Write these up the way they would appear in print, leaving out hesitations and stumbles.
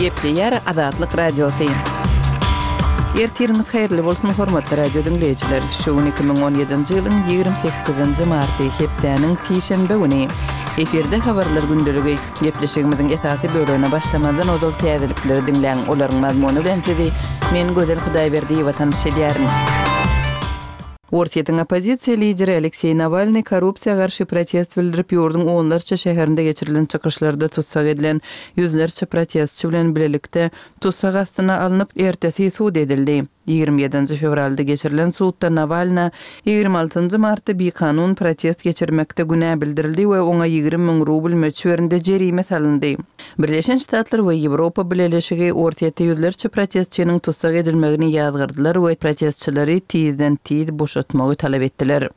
Gepleýär Azatlyk Radiosy. Ertiriňiz haýyrly bolsun, hormatly radio diňleýjiler! Şu gün 2017-nji ýylyň 28-nji marty, hepdäniň sişenbe güni. Efirde habarlar gündeligi. Gepleşigimiziň esasy bölegine başlamazdan ozal täzelikleri diňläň, olaryň mazmuny bilen sizi men Gözel Hudaýberdiýewa tanyş edýärin. Orsýetiň oppozisiýa lideri Alekseý Nawalnyý korrupsiýa garşy protest bildirip, ýurduň onlarça şäherinde geçirilen çykyşlarda tussag edilen ýüzlerçe protestçi bilen bilelikde tussag astyna alnyp, ertesi sud edildi. 27-nji fewralda geçirilen sudda Nawalna 26-njy martda bikanun protest geçirmekde günä bildirildi we oňa 20 müň rubl möçberinde jerime salyndy. Birleşen Ştatlar we Ýewropa Bileleşigi Orsýetde ýüzlerçe protestçiniň tussag edilmegini ýazgardylar we protestçileri tizden-tiz boşatmagy talap etdiler.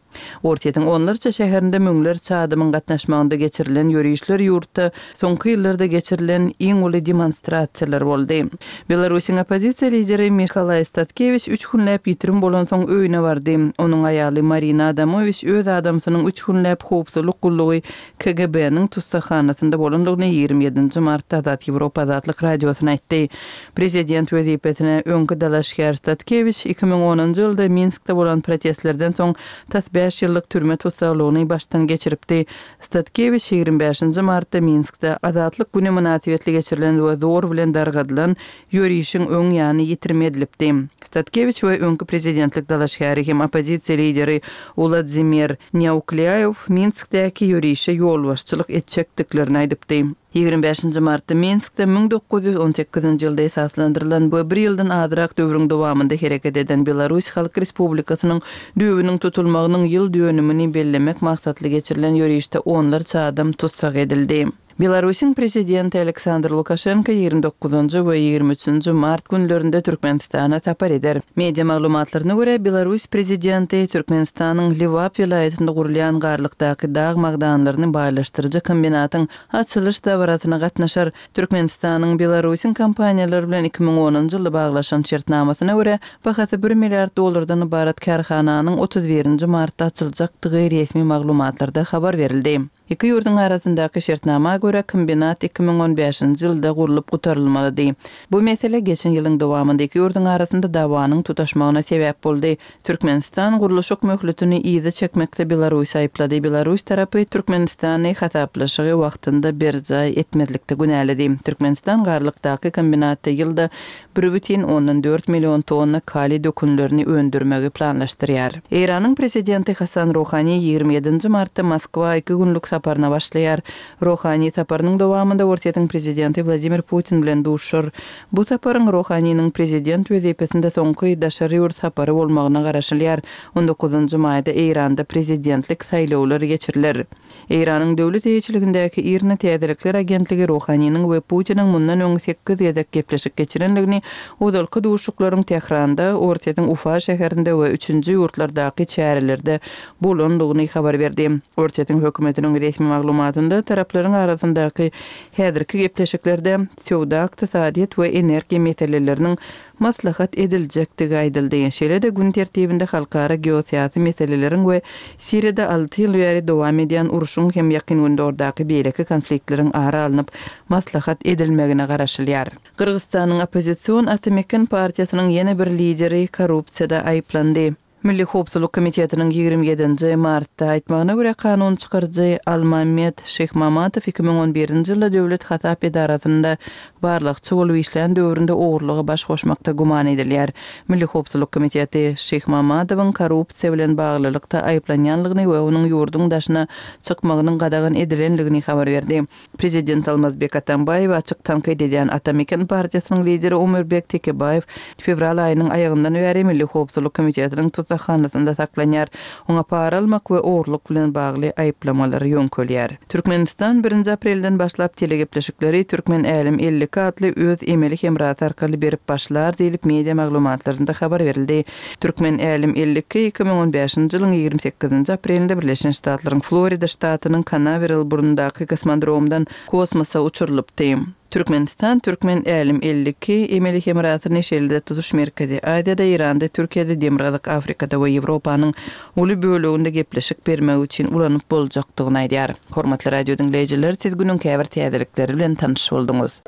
Orsýetiň onlarça şäherinde müňlerçe adamyň gatnaşmagynda geçirilen ýörişler ýurtda soňky ýyllarda geçirilen iň uly demonstrasiýalar boldy. Belarusyň oppozisiýa lideri Mihalaý Statkewiç üç günläp ýitirim bolansoň öýüne bardy. Onuň aýaly Marina Adamowiç öz adamsynyň üç günläp howpsuzlyk gullugy KGB-niň tussaghanasynda bolandygyny 27-nji martda Azat Ýewropa Azatlyk Radiosyna aýtdy. Prezident wezipesine öňki dalaşgär Statkewiç 2010-njy ýylda Minskde bolan protestlerden soň tas bäş ýyllyk türme tussaglygyny başdan geçiripdi. Statkewiç 25-nji martda Minskde Azatlyk güni mynasybetli geçirilen we zor bilen dargadylan ýörişiň öň ýany ýitirim edilipdi. Statkewiç we öňki prezidentlik dalaşgäri hem oppozisiýa lideri Uladzimir Nýauklýaýew Minskdäki ýörişe ýolbaşçylyk etjekdiklerini aýdypdy. 25-nji martda Minskde 1918-nji ýylda esaslandyrylan we bir ýyldan azrak döwrüň dowamynda hereket eden Belarus Halk Respublikasynyň düýbüniň tutulmagynyň ýyl dönümini bellemek maksatly geçirilen ýörişde onlarça adam tussag edildi. Belarusyň Prezidenti Aleksandr Lukaşenko 29-njy we 23-nji mart günlerinde Türkmenistana sapar eder. Media maglumatlaryna görä, Belarus Prezidenti Türkmenistanyň Lebap welaýatynda gurulýan Garlykdaky dag magdanlaryny baýlaşdyryjy kombinatyň açylyş dabarasyna gatnaşar. Türkmenistanyň Belarusyň kompaniýalary bilen 2010-njy ýylda baglaşan şertnamasyna görä, bahasy bir milliard dollardan ybarat kärhananyň 31-nji martda açyljakdygy resmi maglumatlarda habar berildi. Iki ýurduň arasyndaky şertnama görä, kombinat 2015-nji ýylda gurlup gutarylmalydy. Bu mesele geçen ýylyň dowamynda iki ýurduň arasynda dawanyň tutaşmagyna sebäp boldy. Türkmenistan gurluşyk möhletini yza çekmekde Belarusy aýyplady, Belarus tarapy Türkmenistany hasaplaşygy wagtynda berjaý etmezlikde günäledi. Türkmenistan Garlykdaky kombinatda ýylda 1,4 million tonna kaliý dökünlerini öndürmegi planlaşdyrýar. Eýranyň prezidenti Hasan Ruhani 27-nji martda Moskwa iki günlük saparyna başlaýar. Ruhani saparynyň dowamynda Orsýetiň prezidenti Wladimir Putin bilen duşuşar. Bu saparyň Ruhaniniň prezident wezipesinde soňky daşary ýurt sapary bolmagyna garaşylýar. On dokuzynjy maýda Eýranda prezidentlik saýlawlary geçiriler. Eýranyň döwlet eýeçiligindäki IRNA täzelikler agentligi Ruhaniniň we Putiniň mundan öň sekiz gezek gepleşik geçirendigini, ozalky duşuşyklaryň Tähranda, Orsýetiň Ufa şäherinde we üçünji ýurtlardaky çärelerde bolandygyny habar berdi. Orsýetiň hökümetiniň resmi maglumatynda taraplaryň arasyndaky häzirki gepleşiklerde söwda-ykdysadyýet we energiýa meseleleriniň maslahat ediljekdigi aýdyldy. Şeýle-de gün tertibinde halkara geosyýasy meseleleriň we Siriýada alty ýyl bäri dowam edýän urşuň hem Ýakyn Gündogardaky beýleki konfliktleriň ara alnyp maslahat edilmegine garaşylýar. Gyrgyzystanyň oppozision Ata-Meken partiýasynyň ýene bir lideri korrupsiýada aýyplandy. Milli howpsuzlyk komitetiniň 27-nji martda aýtmagyna görä, kanun çykaryjy Almammet Şyhmamatow 2011-nji ýylda döwlet hasap edarasynda barlagçy bolup işlän döwründe ogurlyga baş goşmakda güman edilýär. Milli howpsuzlyk komiteti Şyhmamadowyň korrupsiýa bilen baglylykda aýyplanýanlygyny we onuň ýurduň daşyna çykmagynyň gadagan edilenligini habar berdi. Prezident Almazbek Atambaýewi açyk tankyt edýän Ata Meken partiýasynyň lideri Omurbek Tekebaýew fewral aýynyň aýagyndan bäri Milli howpsuzlyk komitetiniň tussaghanasynda saklanýar. Oňa para almak we ogurlyk bilen bagly aýyplamalar ýöňkelýär. Türkmenistan birinji aprelden başlap telegepleşikleri Türkmen Älem 52 atly öz emeli hemrasy arkaly berip başlar diýlip media maglumatlarynda habar berildi. Türkmen Älem 52 2015-nji ýylyň 28-nji aprelinde Birleşen Ştatlaryň Florida ştatynyň Kanaweral burnundaky kosmodromdan kosmosa uçurylypdy. Türkmenistan Türkmen Älem 52 emeli hemrasyny şeýle-de tutuş Merkezi Aziýada, Eýranda, Türkiýede, Demirgazyk Afrikada we Ýewropanyň uly böleginde gepleşik bermek üçin ulanyp boljakdygyny aýdýar. Hormatly radio diňleýjiler, siz günüň käbir täzelikleri bilen tanyş bolduňyz.